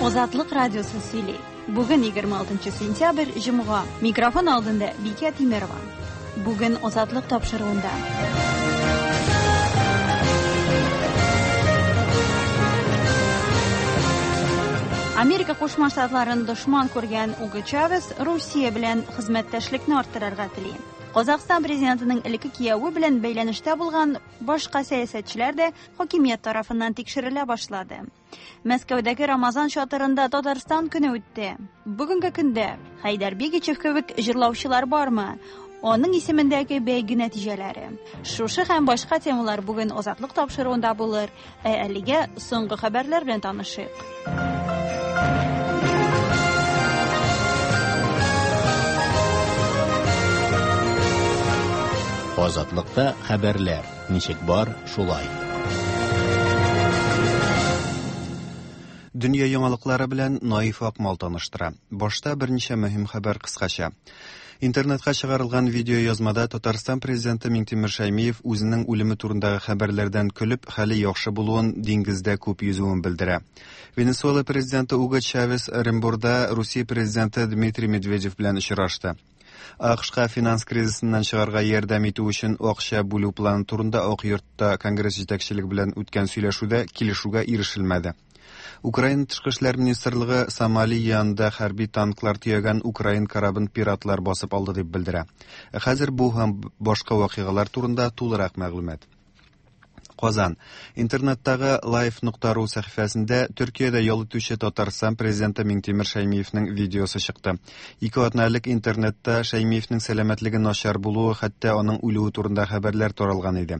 Азатлык радиосы сөйли. Бүген 26 сентябрь, җомга. Микрофон алдында Бикә Тимерова. Бүген Азатлык тапшыруында. Америка Кушма Штатларын дошман күргән Уго Чавес Русия белән хезмәттәшлекне арттырырга тели. Казахстан президентының элекке кияве белән бәйләнештә булган башка сәясәтчеләр дә хакимият тарафыннан тикшерелә башлады. Мәскәүдәге Рамазан чатырында Татарстан көне үтте. Бүгенге көндә Хәйдәр Бигичев кебек җырлаучылар бармы? Аның исемендәге бәйге нәтиҗәләре. Шушы һәм башка темалар бүген Азатлык тапшыруында булыр. Ә әлегә соңгы хәбәрләр белән танышыйк. Азатлыкта хәбәрләр ничек бар, шулай. Дөнья яңалыклары белән Наиф Акмал таныштыра. Башта берничә мөһим хәбәр кыскача. Интернетка чыгарылган видеоязмада Татарстан президенты Миңтимер Шәймиев үзенең үлеме турындагы хәбәрләрдән көлеп, хәле яхшы булуын, диңгездә күп йөзүен белдерә. Венесуэла президенты Уго Чавес Оренбурда Русия президенты Дмитрий Медведев белән очрашты. АКШка финанс кризисыннан чыгарга ярдәм итү өчен акча бүлү планы турында Ак йортта Конгресс җитәкчелеге белән үткән сөйләшүдә килешүгә ирешелмәде. Украина тышкы эшләр министрлыгы Сомали янында хәрби танклар төягән украин корабын пиратлар басып алды дип белдерә. Ә хәзер бу һәм башка вакыйгалар турында тулырак мәгълүмат. Казан. Интернеттагы life.ru сәхифәсендә Төркиядә ял итүче Татарстан президенты Миңтимер Шәймиевнең видеосы чыкты. Ике атна элек интернетта Шәймиевнең сәламәтлеге начар булуы, хәтта аның үлүе турында хәбәрләр таралган иде.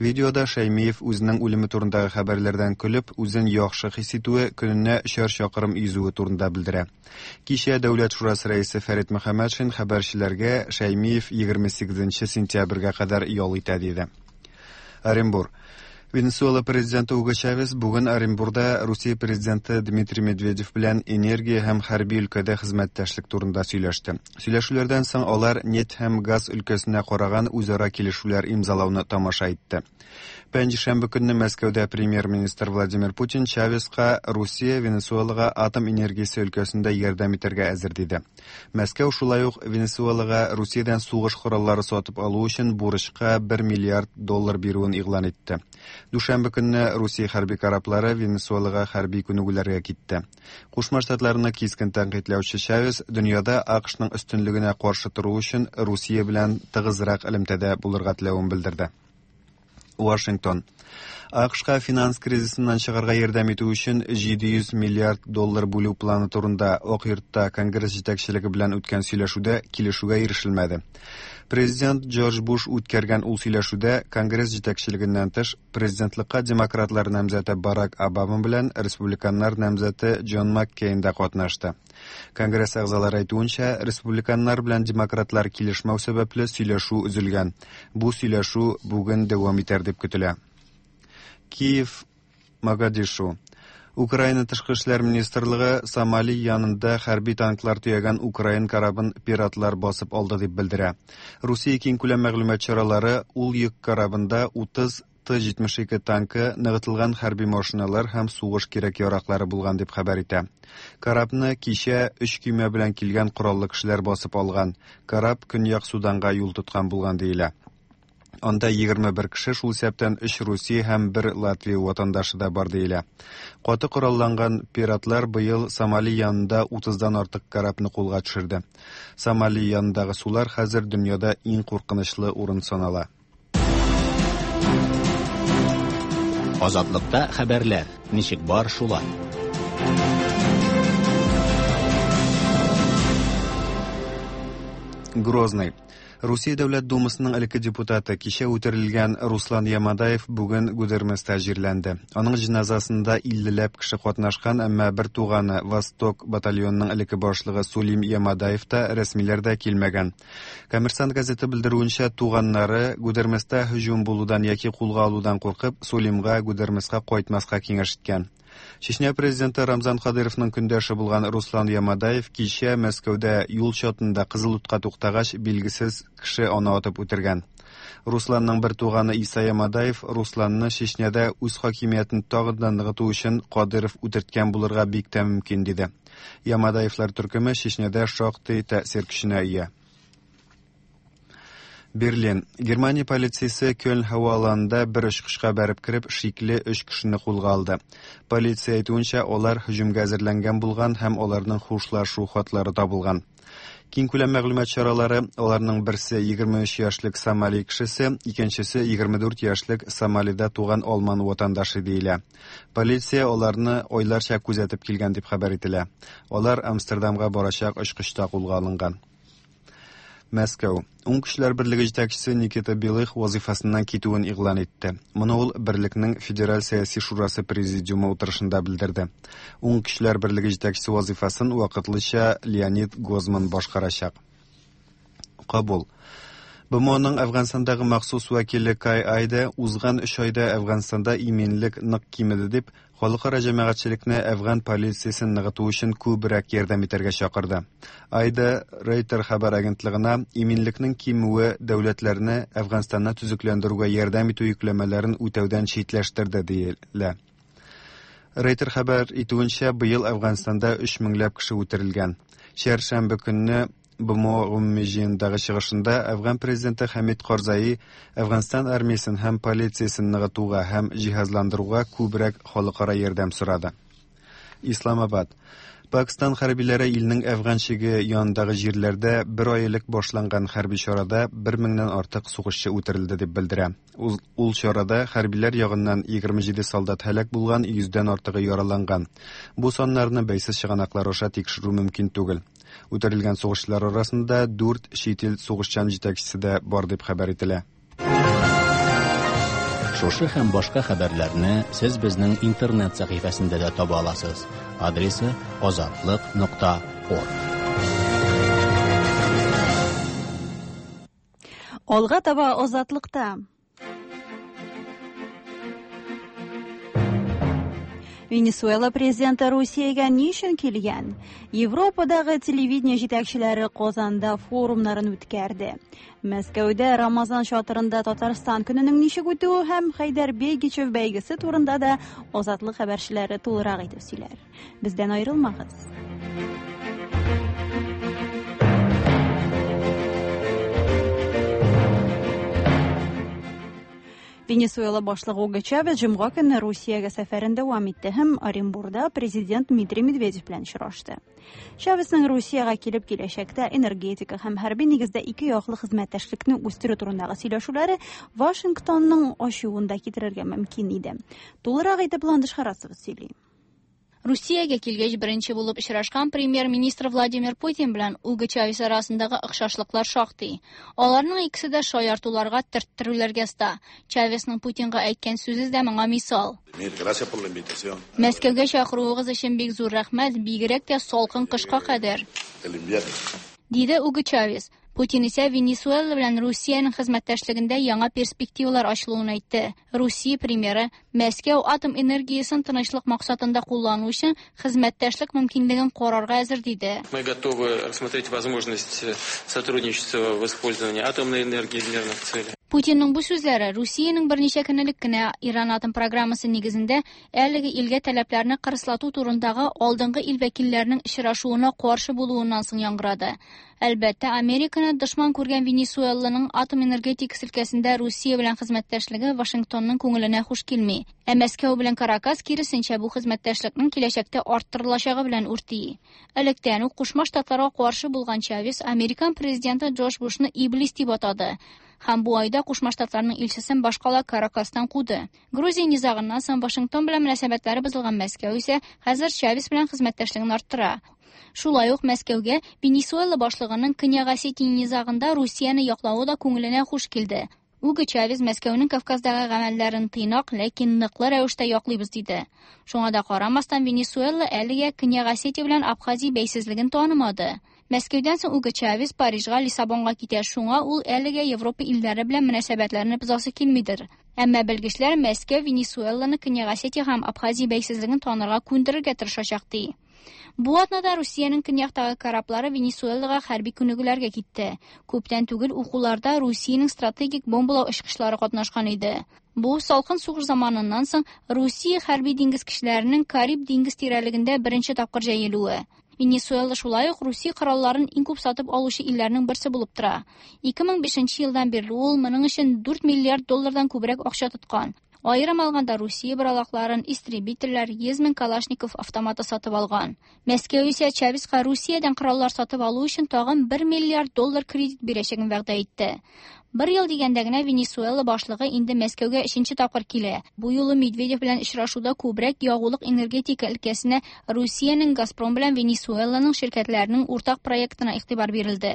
Видеода Шәймиев үзенең үлеме турындагы хәбәрләрдән көлеп, үзен яхшы хис итүе, көненә өчәр чакрым йөзүе турында белдерә. Кичә Дәүләт шурасы рәисе Фәрит Мөхәммәтшин хәбәрчеләргә Шәймиев 28 сентябрьгә кадәр ял итә диде. Оренбур. Венесуэла президенты Уго Чавес бүген Оренбурда Русия президенты Дмитрий Медведев белән энергия һәм хәрби өлкәдә хезмәттәшлек турында сөйләште. Сөйләшүләрдән соң алар нефть һәм газ өлкәсенә караган үзара килешүләр имзалауны тамаша итте. Пәнҗешәмбе көнне Мәскәүдә премьер-министр Владимир Путин Чавеска Русия Венесуэлага атом энергиясе өлкәсендә ярдәм итәргә әзер диде. Мәскәү шулай ук Венесуэлага Русиядән сугыш кораллары сатып алу өчен бурычка 1 миллиард доллар бирүен игълан итте. Дүшәмбе көнне Русия хәрби кораблары Венесуэлага хәрби күнегүләргә китте. Кушма Штатларны кискен тәнкыйтьләүче Чавес дөньяда АКШның өстенлегенә каршы тору өчен Русия белән тыгызрак элемтәдә булырга теләвен белдерде. Вашингтон. АКШка финанс кризисыннан чыгарга ярдәм итү өчен 700 миллиард доллар бүлү планы турында Ак йортта Конгресс җитәкчелеге белән үткән сөйләшүдә килешүгә ирешелмәде. Президент Джордж Буш үткәргән ул сөйләшүдә Конгресс җитәкчелегеннән тыш президентлыкка демократлар намзәте Барак Обама белән республиканнар намзәте Джон Маккейн да катнашты. Конгресс әгъзалары әйтүенчә, республиканнар белән демократлар килешмәү сәбәпле сөйләшү өзелгән. Бу сөйләшү бүген дәвам итәр дип көтелә. Киев, Могадишу. Украина тышкы эшләр министрлыгы Сомали янында хәрби танклар төягән украин корабын пиратлар басып алды дип белдерә. Русия киңкүләм мәгълүмат чаралары ул йөк корабында 30 Т-72 танкы, ныгытылган хәрби машиналар һәм сугыш кирәк-яраклары булган дип хәбәр итә. Корабны кичә өч көймә белән килгән кораллы кешеләр басып алган. Кораб Көньяк Суданга юл тоткан булган диелә. Анда 21 кеше, шул исәптән өч Русия һәм бер Латвия ватандашы да бар диелә. Каты коралланган пиратлар быел Сомали янында 30-дан артык корабны кулга төшерде. Сомали янындагы сулар хәзер дөньяда иң куркынычлы урын санала. Азатлыкта хәбәрләр ничек бар шулай. Грозный. Русия Дәүләт Думасының элекке депутаты, кичә үтерелгән Руслан Ямадаев бүген Гудерместа җирләнде. Аның җеназасында 50ләп кеше катнашкан, әмма бер туганы Восток батальонының элекке башлыгы Сулим Ямадаев та, рәсмиләр дә килмәгән. Коммерсант газеты белдерүенчә, туганнары Гудерместа һөҗүм булудан яки кулга алудан куркып, Сулимга Гудермеска кайтмаска киңәш иткән. Чечня президенты Рамзан Кадыровның көндәше булган Руслан Ямадаев кичә Мәскәүдә юл чатында кызыл утка туктагач, билгесез кеше аны атып үтергән. Русланның бер туганы Иса Ямадаев Русланны Чечняда үз хакимиятен тагын да ныгыту өчен Кадыров үтерткән булырга бик тә мөмкин диде. Ямадаевлар төркеме Чечняда шактый тәэсир көченә ия. Берлин. Германия полициясе Кёльн һава аланында бер очкычка бәреп кереп, шикле өч кешене кулга алды. Полиция әйтүенчә, алар һөҗүмгә әзерләнгән булган һәм аларның хушлашу хатлары табылган. Киңкүләм мәгълүмат чаралары аларның берсе 23 яшьлек Сомали кешесе, икенчесе 24 яшьлек Сомалида туган алман ватандашы диелә. Полиция аларны айларча күзәтеп килгән дип хәбәр ителә. Алар Амстердамга барачак очкычта кулга алынган. Мәскәү. Уң көчләр берлеге җитәкчесе Никита Белых вазифасыннан китүен игълан итте. Моны ул берлекнең Федераль сәяси шурасы президиумы утырышында белдерде. Уң көчләр берлеге җитәкчесе вазифасын вакытлыча Леонид Гозман башкарачак. Кабул. БМОның Әфганстандагы махсус вәкиле Кай Айде узган өч айда Әфганстанда иминлек нык кимеде дип, халыкара җәмәгатьчелекне әфган полициясен ныгыту өчен күбрәк ярдәм итәргә чакырды. Айде Рейтер хәбәр агентлыгына иминлекнең кимүе дәүләтләрне Әфганстанны төзекләндерүгә ярдәм итү йөкләмәләрен үтәүдән читләштерде диелә. Рейтер хәбәр итүенчә, быел Әфганстанда 3 меңләп кеше үтерелгән. Чәршәмбе көнне БМО гомуми җыенындагы чыгышында Әфган президенты Хәмид Карзаи Әфганстан армиясен һәм полициясен ныгытуга һәм җиһазландыруга күбрәк халыкара ярдәм сорады. Исламабад. Пакстан хәрбиләре илнең Әфган чиге янындагы җирләрдә бер ай элек башланган хәрби чарада бер меңнән артык сугышчы үтерелде дип белдерә. Ул чарада хәрбиләр ягыннан 27 солдат һәлак булган, 100дән артыгы яраланган. Бу саннарны бәйсез чыганаклар аша тикшерү мөмкин түгел. Үтерелгән сугышчылар арасында 4 чит ил сугышчан җитәкчесе дә бар дип хәбәр ителә. Шушы һәм башка хәбәрләрне сез безнең интернет сәхифәсендә дә таба аласыз. Адресы azatliq.org. Алга таба Азатлыкта. Венесуэла президенты Русиягә ни өчен килгән? Европадагы телевидение җитәкчеләре Казанда форумнарын үткәрде. Мәскәүдә Рамазан чатырында Татарстан көненең ничек үтүе һәм Хәйдәр Бегичев бәйгесе турында да Азатлык хәбәрчеләре тулырак итеп сөйләр. Бездән аерылмагыз. Венесуэла башлыгы Уго Чавес җомга көнне Русиягә сәфәрен дәвам итте һәм Оренбурда президент Дмитрий Медведев белән очрашты. Чавесның Русиягә килеп киләчәктә энергетика һәм хәрби нигездә ике яклы хезмәттәшлекне үстерү турындагы сөйләшүләре Вашингтонның ачуын да китерергә мөмкин иде. Тулырак итеп Ландыш Харасова сөйли. Русиягә килгәч беренче булып очрашкан премьер-министр Владимир Путин белән Уго Чавес арасындагы охшашлыклар шактый. Аларның икесе дә шаяртуларга, төрттерүләргә оста. Чавесның Путинга әйткән сүзе дә моңа мисал. Мәскәүгә чакыруыгыз өчен бик зур рәхмәт, бигрәк тә салкын кышка кадәр. Диде Уго Чавес. Путин исә Венесуэла белән Русиянең хезмәттәшлегендә яңа перспективалар ачылуын әйтте. Русия премьеры Мәскәү атом энергиясен тынычлык максатында куллану өчен хезмәттәшлек мөмкинлеген карарга әзер диде. Мы готовы рассмотреть возможность сотрудничества в использовании атомной энергии в мирных целях. Путинның бу сүзләре Русиянең берничә көн элек кенә Иран атом программасы нигезендә әлеге илгә таләпләрне кырыслату турындагы алдынгы ил вәкилләренең очрашуына каршы булуыннан соң яңгырады. Әлбәттә, Американы дошман күргән Венесуэланың атом энергетикасы өлкәсендә Русия белән хезмәттәшлеге Вашингтонның күңеленә хуш килми. Ә Мәскәү белән Каракас киресенчә бу хезмәттәшлекнең киләчәктә арттырылачагы белән үрти. Электән үк Кушма Штатларга каршы булган Чавес американ президенты Джордж Бушны иблис дип атады. Һәм бу айда Кушма Штатларның илчесен башкала Каракастан куды. Грузия низагыннан соң Вашингтон белән мөнәсәбәтләре бозылган Мәскәү исә хәзер Чавес белән хезмәттәшлеген арттыра. Шулай ук Мәскәүгә Венесуэла башлыгының Көньяк Осетия низагында Русияне яклавы да күңеленә хуш килде. Уго Чавес Мәскәүнең Кавказдагы гамәлләрен тыйнак, ләкин ныклы рәвештә яклыйбыз диде. Шуңа да карамастан Венесуэла әлегә Көньяк Осетия белән Абхазия бәйсезлеген танымады. Мәскәүдән соң Уго Чавес Парижга, Лиссабонга китә. Шуңа ул әлегә Европа илләре белән мөнәсәбәтләрне бозасы килмидер. Әмма белгечләр Мәскәү Венесуэланы Көньяк Осетия һәм Абхазия бәйсезлеген танырга күндерергә тырышачак ди. Бу атнада Русиянең көньяктагы кораблары Венесуэлага хәрби күнегүләргә китте. Күптән түгел укуларда Русиянең стратегик бомбалау очкычлары катнашкан иде. Бу салкын сугыш заманыннан соң Русия хәрби диңгез көчләренең Кариб диңгез тирәлегендә беренче тапкыр җәелүе. Венесуэла шулай ук Русия коралларын иң күп сатып алучы илләрнең берсе булып тора. 2005 елдан бирле ул моның өчен 4 миллиард доллардан күбрәк акча тоткан. Аерым алганда Русия боралакларын, истребительләр, 100 мең Калашников автоматы сатып алган. Мәскәү исә Чавеска Русиядән кораллар сатып алу өчен тагын 1 миллиард доллар кредит бирәчәген вәгъдә итте. Бер ел дигәндә генә Венесуэла башлыгы инде Мәскәүгә өченче тапкыр килә. Бу юлы Медведев белән очрашуда күбрәк ягулык энергетика өлкәсенә Русиянең Газпром белән Венесуэланың ширкәтләренең уртак проектына игътибар бирелде.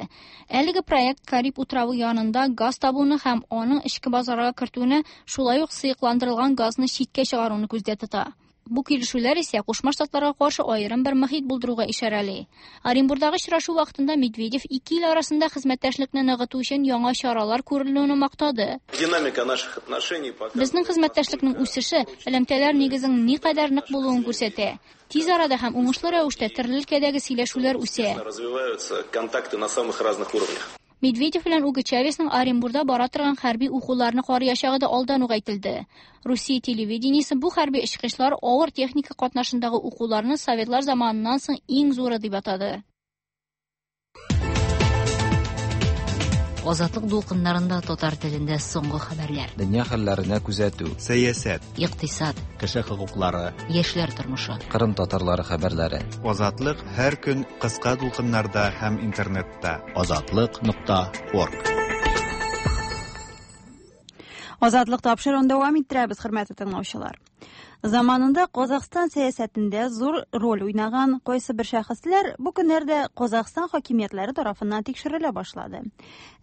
Әлеге проект Кариб утравы янында газ табуны һәм аның эчке базарга кертүне, шулай ук сыекландырылган газны читкә чыгаруны күздә тота. Бу килешүләр исә Кушма Штатларга каршы аерым бер мохит булдыруга ишарәли. Оренбурдагы очрашу вакытында Медведев ике ил арасында хезмәттәшлекне ныгыту өчен яңа чаралар күрелүен мактады. Динамика наших отношений пока Безнең хезмәттәшлекнең үсеше элемтәләр нигезенең никадәр нык булуын күрсәтә. Тиз арада һәм уңышлы рәвештә төрле өлкәдәге сөйләшүләр үсә. развиваются контакты на самых разных уровнях. Медведев белән Уго Чавесның Оренбурда бара торган хәрби укуларны карыячагы да алдан ук әйтелде. Русия телевидениесе бу хәрби очкычлар авыр техника катнашындагы укуларны советлар заманыннан соң иң зуры дип атады. Азатлык дулкыннарында татар телендә соңгы хәбәрләр. Дөнья хәлләренә күзәтү. Сәясәт, Икътисад, Кеше хокуклары, яшьләр тормышы. Кырым татарлары хәбәрләре. Азатлык һәр көн кыска дулкыннарда һәм интернетта. Азатлык.орг. Азатлык тапшыруын дәвам иттерәбез, хөрмәтле тыңлаучылар. Заманында Казахстан сәясәтендә зур роль уйнаган кайсы бер шәхесләр бу көннәрдә Казахстан хакимиятләре тарафыннан тикшерелә башлады.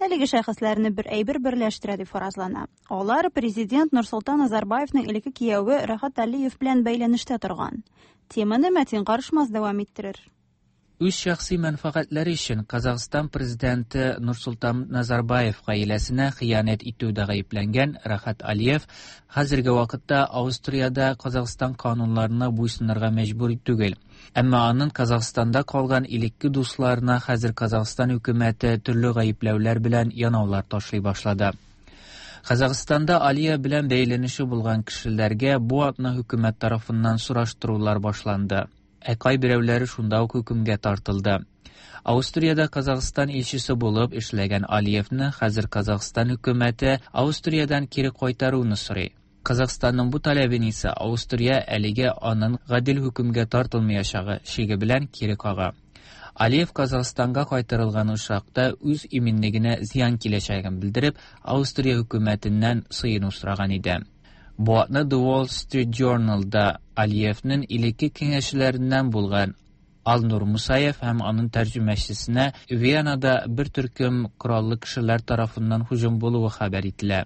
Әлеге шәхесләрне бер әйбер берләштерә дип фаразлана. Алар президент Нурсултан Назарбаевның элекке кияве Рахат Алиев белән бәйләнештә торган. Теманы Мәтин Карышмас дәвам иттерер. Үз шәхси мәнфәгатьләре өчен Казахстан президенты Нурсултан Назарбаев гаиләсенә хыянәт итүдә гаепләнгән Рахат Алиев хәзерге вакытта Австриядә Казахстан кануннарына буйсынырга мәҗбүр түгел. Әмма аның Казахстанда калган элекке дусларына хәзер Казахстан хөкүмәте төрле гаепләүләр белән янаулар ташлый башлады. Казахстанда Алиев белән бәйләнеше булган кешеләргә бу атна хөкүмәт тарафыннан сораштырулар башланды. Ә кайберәүләре шунда ук хөкемгә тартылды. Австриядә Казахстан илчесе булып эшләгән Алиевны хәзер Казахстан хөкүмәте Австриядән кире кайтаруны сорый. Казахстанның бу таләбен исә Австрия әлегә аның гадел хөкемгә тартылмаячагы шиге белән кире кага. Алиев Казахстанга кайтарылган очракта үз иминлегенә зыян киләчәген белдереп, Австрия хөкүмәтеннән сыену сораган иде. Бу атны The Wall Street Journal'да Алиевның элекке киңәшчеләреннән булган Алнур Мусаев һәм аның тәрҗемәчесенә Венада бер төркем кораллы кешеләр тарафыннан һөҗүм булуы хәбәр ителә.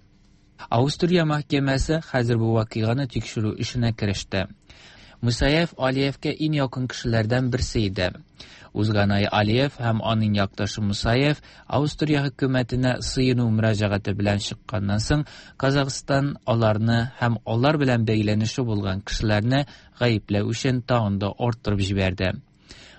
Австрия мәхкәмәсе хәзер бу вакыйганы тикшерү эшенә кереште. Мусаев Алиевкә иң якын кешеләрдән берсе иде. Узган ай Алиев һәм аның якташы Мусаев Австрия хөкүмәтенә сыену мөрәҗәгате белән чыкканнан соң Казахстан аларны һәм алар белән бәйләнеше булган кешеләрне гаепләү өчен тагын да арттырып җибәрде.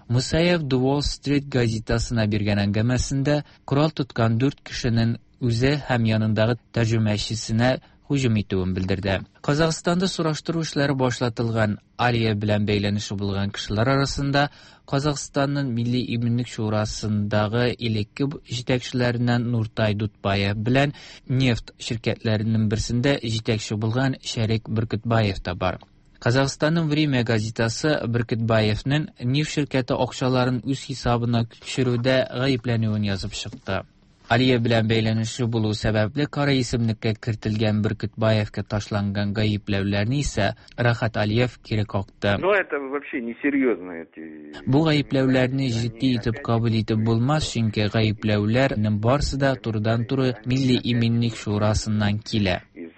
Мусаев The Wall Street газетасына биргән әңгәмәсендә корал тоткан 4 кешенең үзе һәм янындагы тәрҗемәчесенә һөҗүм итүен белдерде. Казахстанда сораштыру эшләре башлатылган Алиев белән бәйләнеше булган кешеләр арасында Казахстанның Милли иминлек шурасындагы элекке җитәкчеләреннән Нуртай Дутбаев белән нефть ширкәтләренең берсендә җитәкче булган Шәрик Бүркетбаев та бар. Казахстанның Время газетасы Бүркетбаевның нефть ширкәте акчаларын үз хисабына күчерүдә гаепләнүен язып чыкты. Алиев белән бәйләнеше булу сәбәпле кара исемлеккә кертелгән Бүркетбаевка ташланган гаепләүләрне исә Рахат Алиев кире какты. Но это вообще несерьезно эти. Бу гаепләүләрне җитди итеп кабул итеп булмас, чөнки гаепләүләрнең барысы да турыдан-туры Милли иминлек шурасыннан килә. Из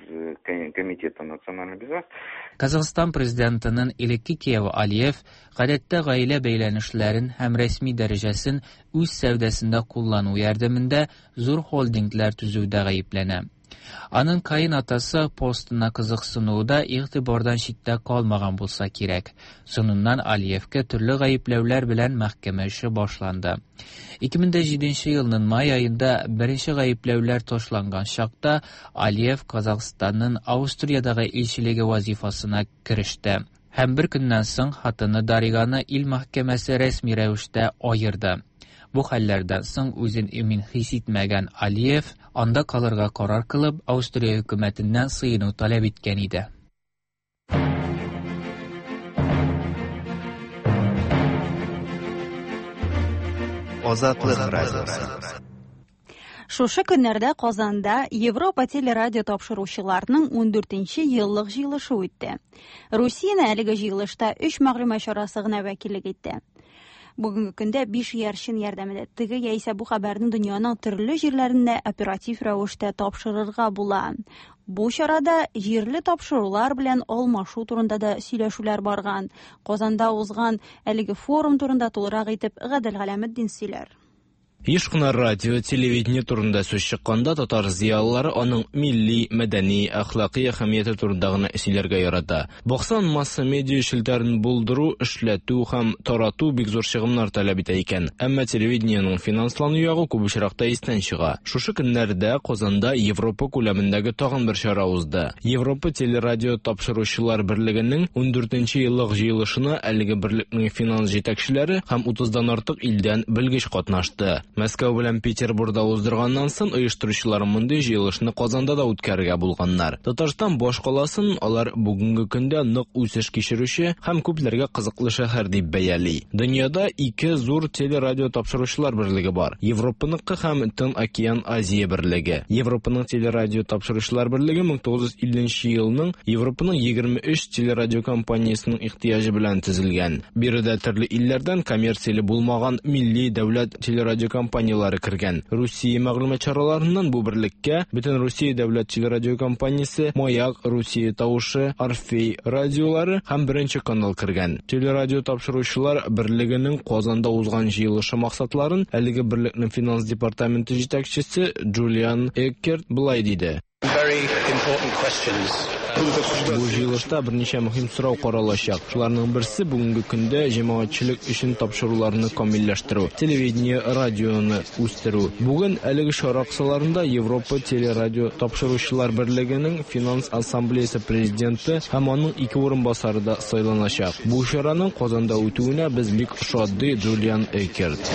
комитета. Комитета национальной безопасности. Казахстан президентының элекке кияве Алиев гадәттә гаилә бәйләнешләрен һәм рәсми дәрәҗәсен үз сәүдәсендә куллану ярдәмендә зур холдинглар төзүдә гаепләнә. Аның каенатасы постына кызыксынуы да игътибардан читтә калмаган булса кирәк. Соңыннан Алиевка төрле гаепләүләр белән мәхкәмә эше башланды. 2007 елның май аенда беренче гаепләүләр ташланган чакта Алиев Казахстанның Австриядагы илчелеге вазифасына кереште. Һәм бер көннән соң хатыны Дариганы ил мәхкәмәсе рәсми рәвештә аерды. Бу хәлләрдән соң үзен имин хис итмәгән Алиев анда калырга карар кылып, Австрия хөкүмәтеннән сыену таләп иткән иде. Азатлык радиосы. Шушы көннәрдә Казанда Европа телерадио тапшыручыларының 14нче еллык җыелышы үтте. Русияне әлеге җыелышта 3 мәгълүмат чарасы гына вәкиллек итте. Бүгенге көндә 5 иярчен ярдәмендә теге яисә бу хәбәрне дөньяның төрле җирләрендә оператив рәвештә тапшырырга була. Бу чарада җирле тапшырулар белән алмашу турында да сөйләшүләр барган. Казанда узган әлеге форум турында тулырак итеп Гадел Галәметдин сөйләр. Еш кына радио, телевидение турында сүз чыкканда татар зыялылары аның милли, мәдәни, әхлакый әһәмияте турында гына сөйләргә ярата. Баксаң, масса медиа челтәрен булдыру, эшләтү һәм тарату бик зур чыгымнар таләп итә икән. Әмма телевидениенең финанслану ягы күп очракта истән чыга. Шушы көннәрдә Казанда Европа күләмендәге тагын бер чара узды. Европа телерадио тапшыручылар берлегенең 14нче еллык җыелышына әлеге берлекнең финанс җитәкчеләре һәм 30дан артык илдән белгеч катнашты. Мәскәү белән Петербургда уздырганнан соң оештыручылар мондый җыелышны Казанда да үткәрергә булганнар. Татарстан башкаласын алар бүгенге көндә нык үсеш кичерүче һәм күпләргә кызыклы шәһәр дип бәяли. Дөньяда ике зур телерадио тапшыручылар берлеге бар. Европаныкы һәм Тын океан Азия берлеге. Европаның телерадио тапшыручылар берлеге 1950 елның Европаның 23 телерадио компаниясының ихтыяҗы белән төзелгән. Биредә төрле илләрдән коммерцияле булмаган милли дәүләт телерадио компанияләре кергән. Русия мәгълүмат чараларыннан бу берлеккә Бөтен Русия дәүләт телерадио компаниясе, Маяк, Русия тавышы, Орфей радиолары һәм Беренче канал кергән. Телерадио тапшыручылар берлегенең Казанда узган җыелышы максатларын әлеге берлекнең финанс департаменты җитәкчесе Джулиан Эккерт былай диде. Бу җыелышта берничә мөһим сорау каралачак. Шуларның берсе бүгенге көндә җәмәгатьчелек өчен тапшыруларны камилләштерү, телевидение, радионы үстерү. Бүген әлеге чара кысаларында Европа телерадио тапшыручылар берлегенең финанс ассамблеясы президенты һәм аның ике урынбасары да сайланачак. Бу чараның Казанда үтүенә без бик шат, ди Джулиан Эккерт.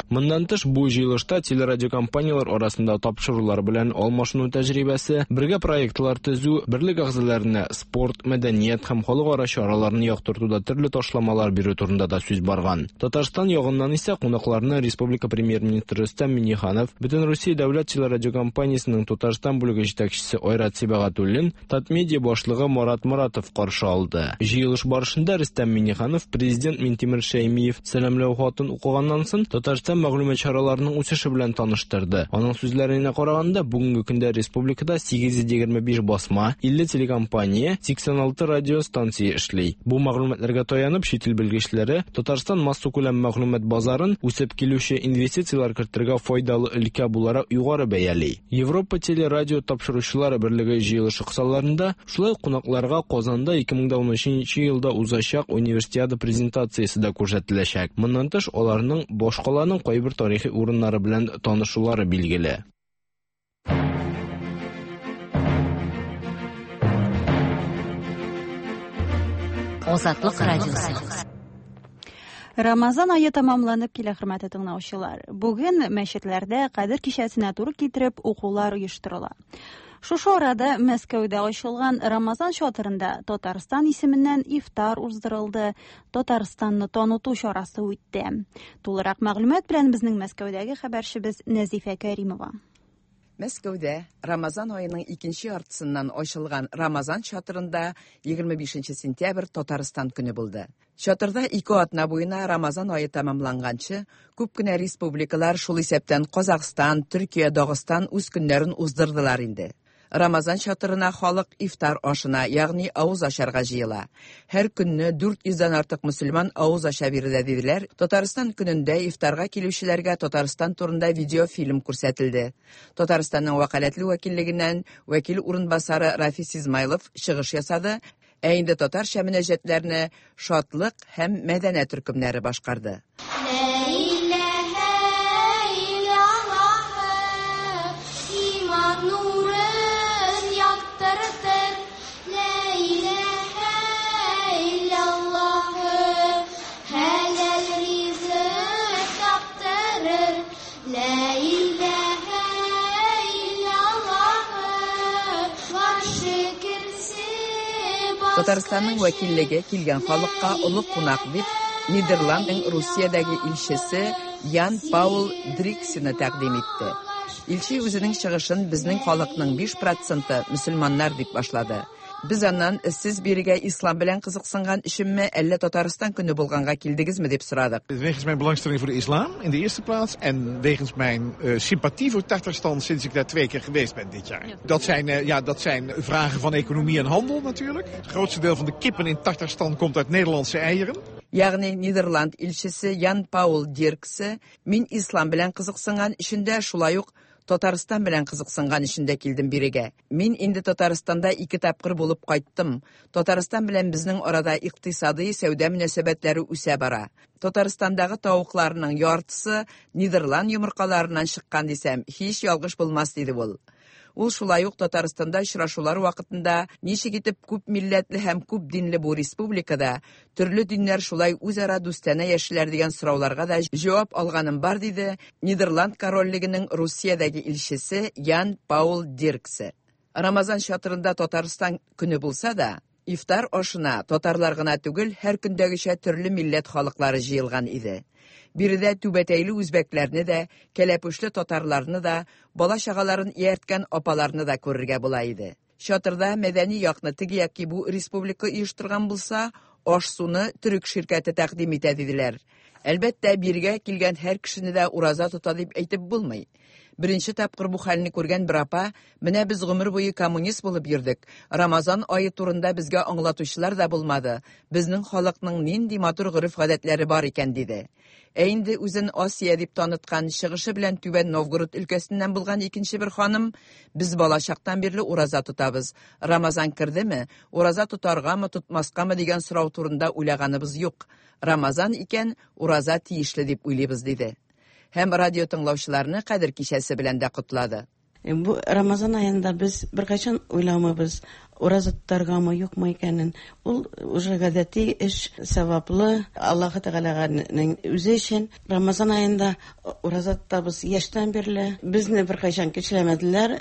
Моннан тыш, бу җыелышта телерадиокомпанияләр арасында тапшырулар белән алмашыну тәҗрибәсе, бергә проектлар төзү, берлек әгъзаларына спорт, мәдәният һәм халыкара чараларны яктыртуда төрле ташламалар бирү турында да сүз барган. Татарстан ягыннан исә кунакларны республика премьер-министры Рөстәм Миңнеханов, Бөтенрусия дәүләт телерадиокомпаниясенең Татарстан бүлеге җитәкчесе Айрат Сибагатуллин, Татмедиа башлыгы Марат Моратов каршы алды. Җыелыш барышында Рөстәм Миңнеханов президент Минтимер Шәймиев сәламләү хатын укыганнан соң Татарстан мәгълүмат чараларының үсеше белән таныштырды. Аның сүзләренә караганда, бүгенге көндә республикада 825 басма, 50 телекомпания, 86 радио станция эшли. Бу мәгълүматларга таянып, чит ил белгечләре Татарстан массакүләм мәгълүмат базарын үсеп килүче инвестицияләр кертергә файдалы өлкә буларак югары бәяли. Европа телерадио тапшыручылар берлеге җыелышы кысаларында шулай ук кунакларга Казанда 2013 елда узачак универсиада презентациясе дә күрсәтеләчәк. Моннан тыш, аларның башкаланың кайбер тарихи урыннары белән танышулары билгеле. Азатлык радиосы. Рамазан ае тәмамланып килә, хөрмәтле тыңлаучылар. Бүген мәчетләрдә Кадер кичәсенә туры китереп укулар оештырыла. Шушы арада Мәскәүдә ачылган Рамазан чатырында Татарстан исеменнән ифтар уздырылды, Татарстанны таныту чарасы үтте. Тулырак мәгълүмат белән безнең Мәскәүдәге хәбәрчебез Нәзифә Кәримова. Мәскәүдә Рамазан аеның икенче яртысыннан ачылган Рамазан чатырында 25 сентябрь Татарстан көне булды. Чатырда ике атна буена Рамазан ае тәмамланганчы күп кенә республикалар, шул исәптән Казахстан, Төркия, Дагыстан үз көннәрен уздырдылар инде. Рамазан чатырына халык ифтар ашына, ягъни авыз ачарга җыела. Һәр көнне 400 дән артык мөселман авыз ача биредә, диделәр. Татарстан көнендә ифтарга килүчеләргә Татарстан турында видеофильм күрсәтелде. Татарстанның вәкаләтле вәкиллегеннән вәкил урынбасары Рафис Измайлов чыгыш ясады, ә инде татарча мөнәҗәтләрне Шатлык һәм Мәдәнә төркемнәре башкарды. Татарстанның вәкиллеге килгән халыкка олы кунак дип Нидерландның Русиядәге илчесе Ян Паул Дриксины тәкъдим итте. Илче үзенең чыгышын безнең халыкның 5 проценты мөселманнар дип башлады. Без аннан сез бирегә ислам белән кызыксынган өченме, әллә Татарстан көне булганга килдегезме дип сорадык. Wegens mijn belangstelling voor de islam in de eerste plaats en wegens mijn sympathie voor Tatarstan sinds ik daar 2 keer geweest ben dit jaar. Dat zijn vragen van economie en handel natuurlijk. Het grootste deel van de kippen in Tatarstan komt uit Nederlandse eieren. Ягъни Нидерланд илчесе Ян Паул Дирксе мин ислам белән кызыксынган өчен дә, шулай ук Татарстан белән кызыксынган өчен дә килдем бирегә. Мин инде Татарстанда 2 тапкыр булып кайттым. Татарстан белән безнең арада икътисадый сәүдә мөнәсәбәтләре үсә бара. Татарстандагы тавыкларның яртысы Нидерланд йомыркаларыннан чыккан дисәм, һич ялгыш булмас, диде ул. Ул шулай ук Татарстанда очрашулар вакытында ничек итеп күп милләтле һәм күп динле бу республикада төрле диннәр шулай үзара дустанә яшиләр дигән сорауларга да җавап алганым бар, диде Нидерланд корольлегенең Русиядәге илчесе Ян Паул Дирксе. Рамазан чатырында Татарстан көне булса да, ифтар ашына татарлар гына түгел, һәр көндәгечә төрле милләт халыклары җыелган иде. Биредә түбәтәйле үзбәкләрне дә, кәләпүшле татарларны да, бала-чагаларын иярткән апаларны да күрергә була иде. Чатырда мәдәни якны теге яки бу республика оештырган булса, аш-суны төрек ширкәте тәкъдим итә, диделәр. Әлбәттә, бирегә килгән һәр кешене дә ураза тота дип әйтеп булмый. Беренче тапкыр бу хәлне күргән бер апа, менә без гомер буе коммунист булып йөрдек. Рамазан ае турында безгә аңлатучылар да булмады. Безнең халыкның нинди матур гореф-гадәтләре бар икән, диде. Ә инде үзен Асия дип таныткан, чыгышы белән Түбән Новгород өлкәсеннән булган икенче бер ханым, без балачактан бирле ураза тотабыз. Рамазан кердеме, ураза тотаргамы, тотмаскамы дигән сорау турында уйлаганыбыз юк. Рамазан икән, ураза тиешле дип уйлыйбыз, диде. Һәм радио тыңлаучыларны кадер кичәсе белән дә котлады. Бу Рамазан аенда без беркайчан уйламыйбыз, ураза тотаргамы, юкмы икәнен. Ул уже гадәти эш, саваплы, Аллаһы Тәгаләнең үзе өчен. Рамазан аенда ураза тотабыз яшьтән бирле. Безне беркайчан көчләмәделәр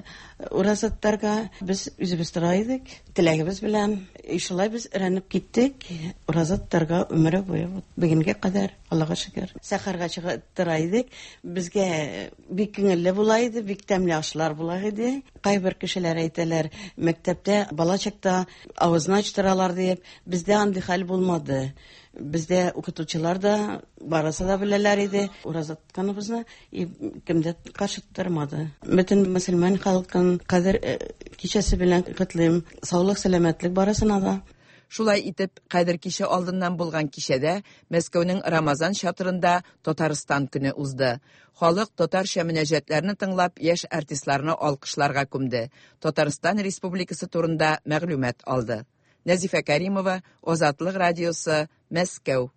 ураза тотарга. Без үзебез тора идек, теләгебез белән. Шулай без өйрәнеп киттек ураза тотарга өмере буе. Бүгенгә кадәр, Аллага шөкер. Сәхәргә чыгып тора идек. Безгә бик күңелле була иде, бик тәмле ашлар була иде. Кайбер кешеләр әйтәләр, мәктәптә бала чакта авызны ачтыралар дип. Бездә андый хәл булмады. Бездә укытучылар да барысы да беләләр иде ураза тотканыбызны, и кем дә каршы тормады. Бөтен мөселман халкын кадер кичәсе белән котлыйм. Саулык, сәламәтлек барысына да. Шулай итеп, кадер кичә алдыннан булган кичәдә Мәскәүнең Рамазан чатырында Татарстан көне узды. Халык татарча мөнәҗәтләрне тыңлап, яшь артистларны алкышларга күмде. Татарстан Республикасы турында мәгълүмат алды. Нәзифә Каримова, Азатлык радиосы, Мәскәү.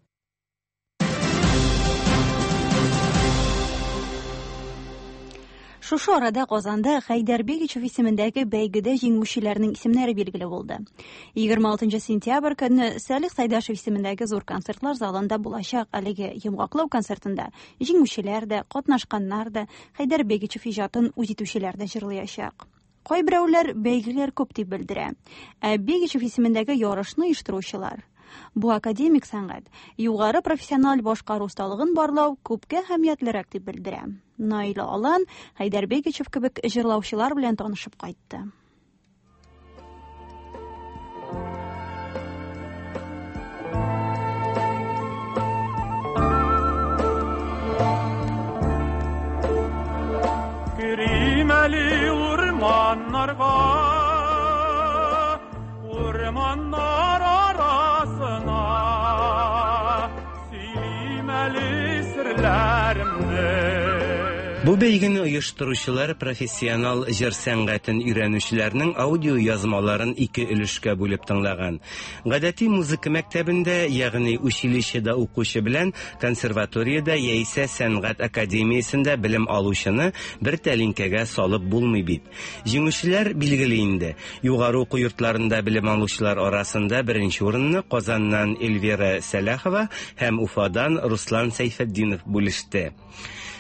Шушы арада Казанда Хәйдәр Бигичев исемендәге бәйгедә җиңүчеләрнең исемнәре билгеле булды. 26 сентябрь көнне Сәлих Сайдашев исемендәге зур концертлар залында булачак әлеге йомгаклау концертында җиңүчеләр дә, катнашканнар да, Хәйдәр Бигичев иҗатын үз итүчеләр дә җырлаячак. Кайберәүләр бәйгеләр күп дип белдерә. Ә Бигичев исемендәге ярышны оештыручылар бу академик сәнгать югары профессиональ башкару осталыгын барлау күпкә әһәмиятлерәк дип белдерә. Наилә Алан Хәйдәр Бигичев кебек җырлаучылар белән танышып кайтты. Керим әле урманнарга, Урманнар арасына Сөйлим әле серләремне. Бу бәйгене оештыручылар профессионал җыр сәнгатен өйрәнүчеләрнең аудиоязмаларын ике өлешкә бүлеп тыңлаган. Гадәти музыка мәктәбендә, ягъни училищеда укучы белән консерваториядә яисә сәнгать академиясендә белем алучыны бер тәлинкәгә салып булмый бит. Җиңүчеләр билгеле инде. Югары уку йортларында белем алучылар арасында беренче урынны Казаннан Эльвира Сәлахова һәм Уфадан Руслан Сәйфетдинов бүлеште.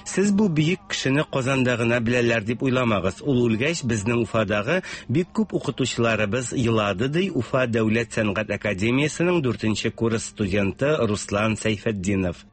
Сез бу бөек кешене Казанда гына беләләр дип уйламагыз. Ул үлгәч, безнең Уфадагы бик күп укытучыларыбыз елады, ди Уфа дәүләт сәнгать академиясенең дүртенче курс студенты Руслан Сәйфетдинов.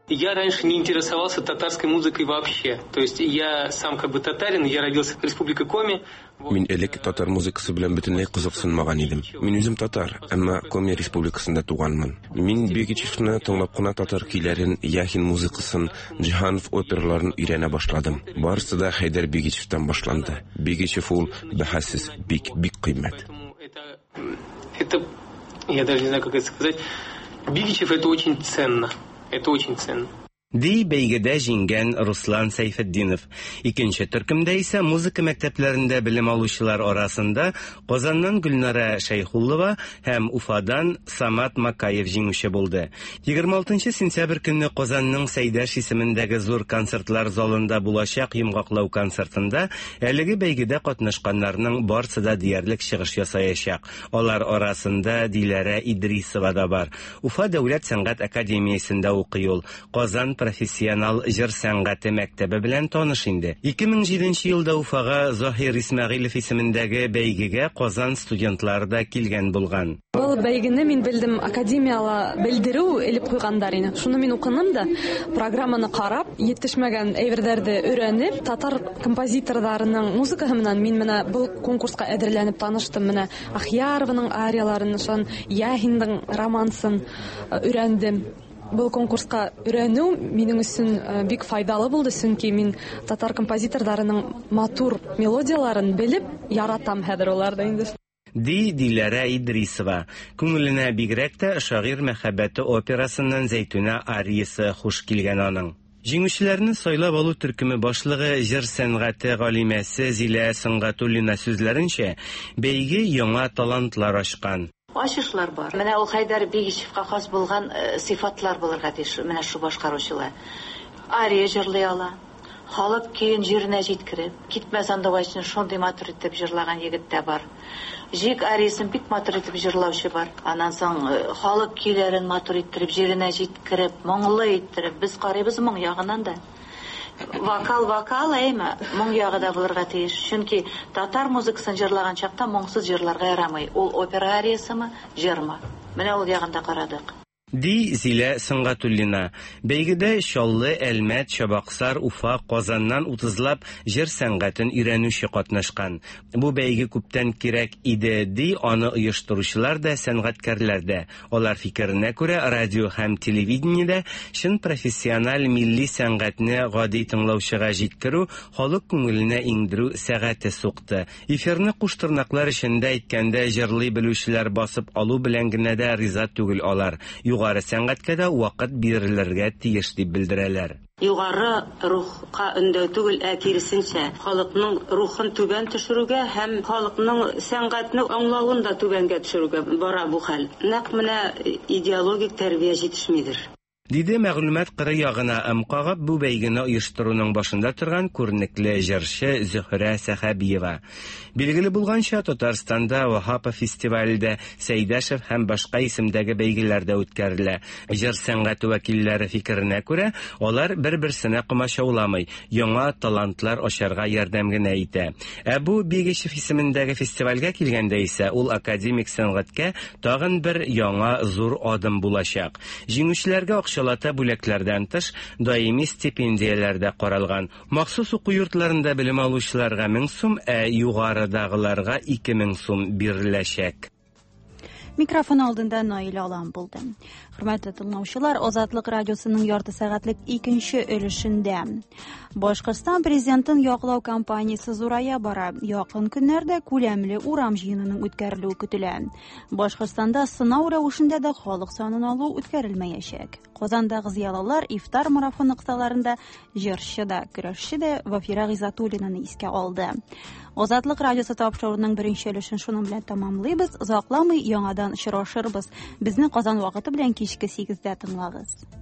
Я раньше не интересовался татарской музыкой вообще. То есть я сам как бы татарин, я родился в Республике Коми. Мин элек татар музыкасы белән бөтенләй кызыксынмаган идем. Мин үзем татар, әмма Коми Республикасында туганмын. Мин Бегичевны тыңлап кына татар көйләрен, Яхин музыкасын, Җиһанов операларын өйрәнә башладым. Барысы да Хәйдәр Бегичевтан башланды. Бегичев ул бәһасез бик, бик кыйммәт. Это, я даже не знаю, как это сказать. Бигичев это очень ценно. Это очень ценно. Ди бәйгедә җиңгән Руслан Сәйфетдинов. Икенче төркемдә исә музыка мәктәпләрендә белем алучылар арасында Казаннан Гөлнара Шәйхуллова һәм Уфадан Самат Макаев җиңүче булды. 26 сентябрь көнне Казанның Сәйдәш исемендәге зур концертлар залында булачак йомгаклау концертында әлеге бәйгедә катнашканнарның барсы да диярлек чыгыш ясаячак. Алар арасында Диләрә Идрисова да бар. Уфа дәүләт сәнгать академиясендә укый ул. Казан профессионал җыр сәнгате мәктәбе белән таныш инде. 2007 елда Уфага Заһир Исмәгыйлев исемендәге бәйгегә Казан студентлары да килгән булган. Был бәйгене мин белдем, академияла белдерү элеп куйганнар ине. Шуны мин укыным да, программаны карап, етешмәгән әйберләрде өйрәнеп, татар композиторларының музыкаһы менән мин менә был конкурска әзерләнеп таныштым. Менә Ахьярованың арияларын, шун Яхинның романсын өйрәндем. Был конкурска өйрәнү минем өчен бик файдалы булды, чөнки мин татар композиторларының матур мелодияларын белеп яратам хәзер аларны инде. Ди Диләрә Идрисова. Күңеленә бигрәк тә Шагыйрь мәхәббәте операсыннан Зәйтүнә ариясе хуш килгән аның. Җиңүчеләрне сайлап алу төркеме башлыгы җыр сәнгате галимәсе Зилә Сөнгатуллина сүзләренчә, бәйге яңа талантлар ачкан. Ачышлар бар. Менә ул Хәйдәр Бигичевка хас булган сыйфатлар булырга тиеш менә шу башкаручылар. Ария җырлый ала. Халык көен җиренә җиткереп, Китмә сандугачны шундый матур итеп җырлаган егет тә бар. Җик ариясын бик матур итеп җырлаучы бар. Аннан соң халык көйләрен матур иттереп, җиренә җиткереп, моңлы иттереп, без карыйбыз моң ягыннан да. Вокал вокал, әйме, моң ягы да булырга тиеш. Чөнки татар музыкасын җырлаган чакта моңсыз җырларга ярамый. Ул опера ариясымы, җырмы? Менә ул ягын да карадык. Ди Зилә Сөнгатуллина. Бәйгедә Чаллы, Әлмәт, Чабаксар, Уфа, Казаннан утызлап җыр сәнгатен өйрәнүче катнашкан. Бу бәйге күптән кирәк иде, ди аны оештыручылар да, сәнгатькәрләр дә. Алар фикеренә күрә, радио һәм телевидениедә чын профессиональ милли сәнгатьне гади тыңлаучыга җиткерү, халык күңеленә иңдерү сәгате сукты. Эфирны куш тырнаклар эчендә әйткәндә җырлый белүчеләр басып алу белән генә дә риза түгел алар. Югары сәнгатькә дә вакыт бирелергә тиеш дип белдерәләр. Югары рухка өндәү түгел, ә киресенчә, халыкның рухын түбән төшерүгә һәм халыкның сәнгатьне аңлавын да түбәнгә төшерүгә бара бу хәл. Нәкъ менә идеологик тәрбия җитешмидер. Диде мәгълүмат кыры ягына ым кагып, бу бәйгене оештыруның башында торган күренекле җырчы Зөһрә Сәхәбиева. Билгеле булганча, Татарстанда Ваһапов фестивале дә, Сәйдәшев һәм башка исемдәге бәйгеләр дә үткәрелә. Җыр сәнгате вәкилләре фикеренә күрә, алар бер-берсенә комачауламый, яңа талантлар ачарга ярдәм генә итә. Ә бу Бигичев исемендәге фестивальгә килгәндә исә, ул академик сәнгатькә тагын бер яңа зур адым булачак. Җиңүчеләргә акчалата бүләкләрдән тыш, даими стипендияләр дә каралган. Махсус уку йортларында белем алучыларга 1000 сум, ә югарыдагыларга 2000 сум биреләчәк. Микрофон алдында Наилә Алан булды. Хөрмәтле тыңлаучылар, Азатлык радиосының ярты сәгатьлек икенче өлешендә Башкортстан президентын яклау кампаниясе зурая бара. Якын көннәрдә күләмле урам җыенының үткәрелүе көтелә. Башкортстанда сынау рәвешендә дә халык санын алу үткәрелмәячәк. Казандагы зыялылар ифтар марафоны кысаларында җырчы да, көрәшче дә Вафира Гыйззәтуллинаны искә алды. Азатлык радиосы тапшыруының беренче өлешен шуның белән тәмамлыйбыз. Озакламый яңадан очрашырбыз. Безне Казан вакыты белән кичке 8-дә тыңлагыз.